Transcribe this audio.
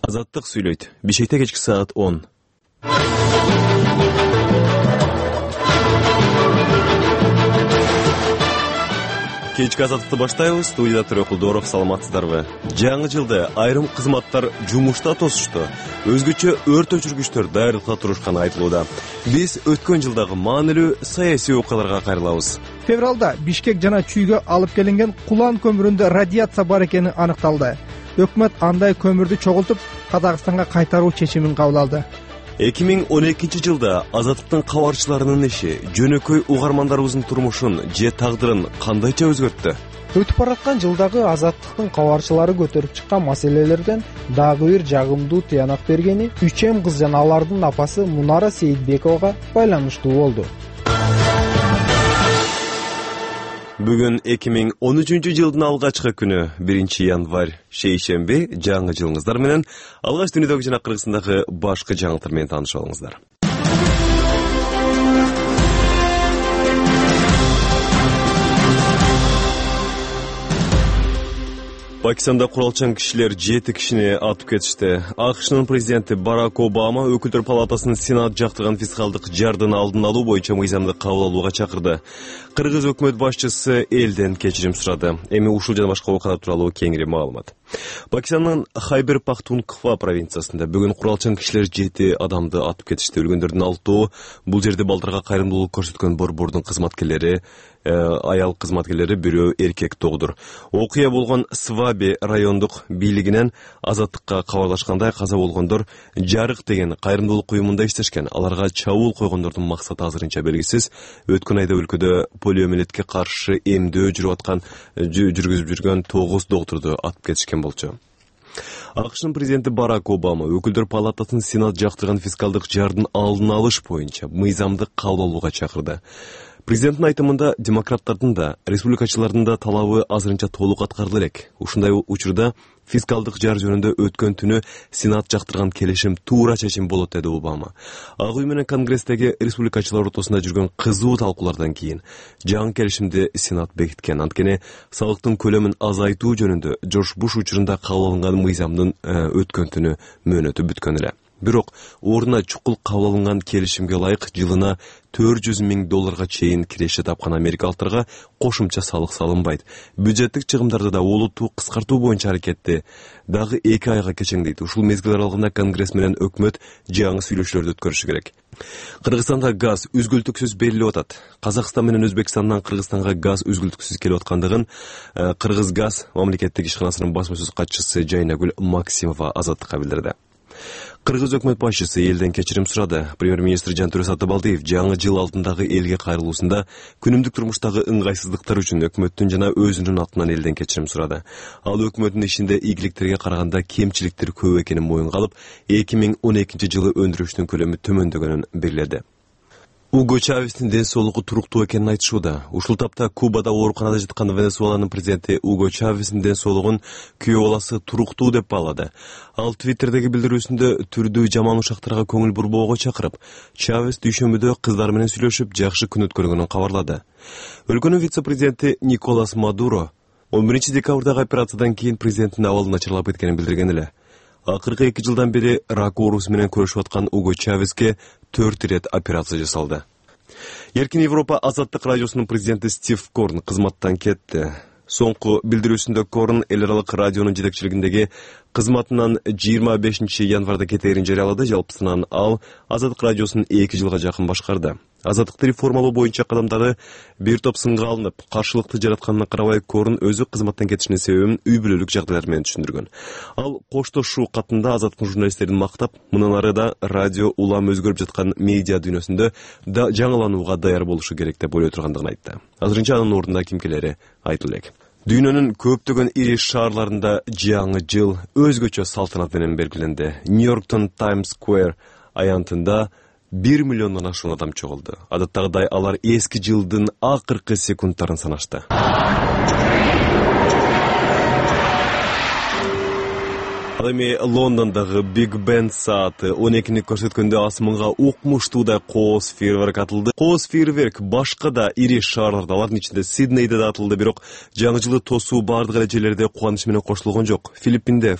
Азаттык сүйлөйт. Бишкекте кечки саат 10. Кечки азаттыкты баштайбыз. Студияда Төрөкулдоров, саламатсыздарбы? Жаңы жылда айрым кызматтар жумушта тосушту. Өзгөчө өрт өчүргүчтөр даярдыкта турушканы айтылууда. Биз өткөн жылдагы маанилүү саясий окуяларга кайрылабыз. Февралда Бишкек жана Чүйгө алып келинген кулан көмүрүндө радиация бар экени аныкталды. Өкмөт андай көмүрдү чогултуп Казакстанга кайтаруу чечимин кабыл алды. 2012 жылда азаттыктын кабарчыларынын иши жөнөкөй угармандарыбыздын турмушун же тагдырын кандайча өзгөрттү? Өтүп бараткан жылдагы азаттыктын кабарчылары көтөрүп чыккан маселелерден дагы бир жагымдуу тыянак бергени 3 кыз жана алардын апасы Мунара Сейитбековага байланыштуу болду. Бүгүн 2013 жылдын алгачкы күнү 1 январь шейшемби. Жаңы жылыңыздар менен алгач дүйнөдөгү жана Кыргызстандагы башкы жаңылыктар менен таанышып алыңыздар. Пакистанда куралчан кишилер 7 кишини атып кетишти. АКШнын президенти Барак Обама өкүлдөр палатасынын Сенат жактырган фискалдык жардын алдын алуу боюнча мыйзамды кабыл алууга чакырды. Кыргыз өкмөт башчысы элден кечирим сурады. Эми ушул жана башка окуялар тууралуу кеңири маалымат. Пакистандын Хайбер Пахтунква провинциясында бүгүн куралчан кишилер 7 адамды атып кетишти. Өлгөндөрдүн 6-ы бул жерде балдарга кайрымдуулук көрсөткөн борбордун кызматкерлери, аял кызматкерлери, бирөө эркек догдур. Окуя болгон Сваби райондук бийлигинен азаттыкка кабарлашкандай каза болгондор Жарык деген кайрымдуулук уюмунда иштешкен. Аларга чабуул койгондордун максаты азырынча белгисиз. Өткөн айда өлкөдө полиомиелитке каршы эмдөө жүргүзүп жүргөн 9 доктурду атып кетишкен болчу. АКШнын президенти Барак Обама өкүлдөр палатасынын Сенат жактырган фискалдык жардын алдын алыш боюнча мыйзамды кабыл алууга чакырды. Президенттин айтымында демократтардын да, республикачылардын да талабы азырынча толук аткарыла элек. Ушундай учурда фискалдык жар жөнүндө өткөн түнү Сенат жактырган келишим туура чечим болот, деди Обама. Ак үй менен Конгресстеги республикачылар ортосунда жүргөн кызуу талкуулардан кийин жаңы келишимди Сенат бекиткен. Анткени салыктын көлөмүн азайтуу жөнүндө Жорж Буш учурунда кабыл алынган мыйзамдын өткөн түнү мөөнөтү бүткөн эле. Бирок ордуна чукул кабыл алынган келишимге ылайык жылына $400 000 чейин киреше тапкан америкалыктарга кошумча салык салынбайт. Бюджеттик чыгымдарды да олуттуу кыскартуу боюнча аракетти дагы 2 айга кечеңдейт. Ушул мезгил аралыгында Конгресс менен өкмөт жаңы сүйлөшүүлөрдү өткөрүшү керек. Кыргызстанда газ үзгүлтүксүз берилип атат. Казакстан менен Өзбекстандан Кыргызстанга газ үзгүлтүксүз келип аткандыгын Кыргыз газ мамлекеттик ишканасынын басма сөз катчысы Жайнагүл Максимова азаттыкка билдирди. Кыргыз өкмөт башчысы элден кечирим сурады. Премьер-министр Жантөре Сатыбалдиев жаңы жыл алдындагы элге кайрылуусунда күнүмдүк турмуштагы ыңгайсыздыктар үчүн өкмөттүн жана өзүнүн атынан элден кечирим сурады. Ал өкмөттүн ишинде ийгиликтерге караганда кемчиликтер көп экенин моюнга алып, 2012 жылы өндүрүштүн көлөмү төмөндөгөнүн белгиледи. Уго Чавестин ден соолугу туруктуу экенин айтышууда. Ушул тапта Кубада ооруканада жаткан Венесуэланын президенти Уго Чавестин ден соолугун күйөө баласы туруктуу деп баалады. Ал Твиттердеги билдирүүсүндө түрдүү жаман ушактарга көңүл бурбоого чакырып, Чавес дүйшөмбүдө кыздар менен сүйлөшүп, жакшы күн өткөргөнүн кабарлады. Өлкөнүн вице-президенти Николас Мадуро 11 декабрдагы операциядан кийин президенттин абалы начарлап кеткенин билдирген эле. Акыркы 2 жылдан бери рак оорусу менен күрөшүп аткан Уго Чавеске 4 ирет операция жасалды. Эркин Европа азаттык радиосунун президенти Стив Корн кызматтан кетти. Соңку билдирүүсүндө Корн эл аралык радионун жетекчилигиндеги кызматынан 25 январда кетээрин жарыялады. Жалпысынан ал азаттык радиосун 2 жылга жакын башкарды. Азаттыкты реформалоо боюнча кадамдары бир топ сынга алынып, каршылыкты жаратканына карабай Корн өзү кызматтан кетишинин себебин үй бүлөлүк жагдайлар менен түшүндүргөн. Ал коштошуу катында азаттык журналисттерин мактап, мындан ары да радио улам өзгөрүп жаткан медиа дүйнөсүндө да жаңыланууга даяр болушу керек деп ойлой тургандыгын айтты. Азырынча анын ордунда ким келери айтылып элек. Дүйнөнүн көптөгөн ири шаарларында жаңы жыл өзгөчө салтанат менен белгиленди. Нью-Йорктун Times Square аянтында 1 миллиондон ашуун адам чогулду. Адаттагыдай алар эски жылдын акыркы секундтарын санашты. Ал эми Лондондогу Big Ben сааты 12-ни көрсөткөндө асманга укмуштуудай кооз фейерверк атылды. Кооз фейерверк башка да ири шаарларда, алардын ичинде Сиднейде да атылды, бирок жаңы жылды тосуу бардык эле жерлерде кубаныч менен коштулгон жок. Филиппинде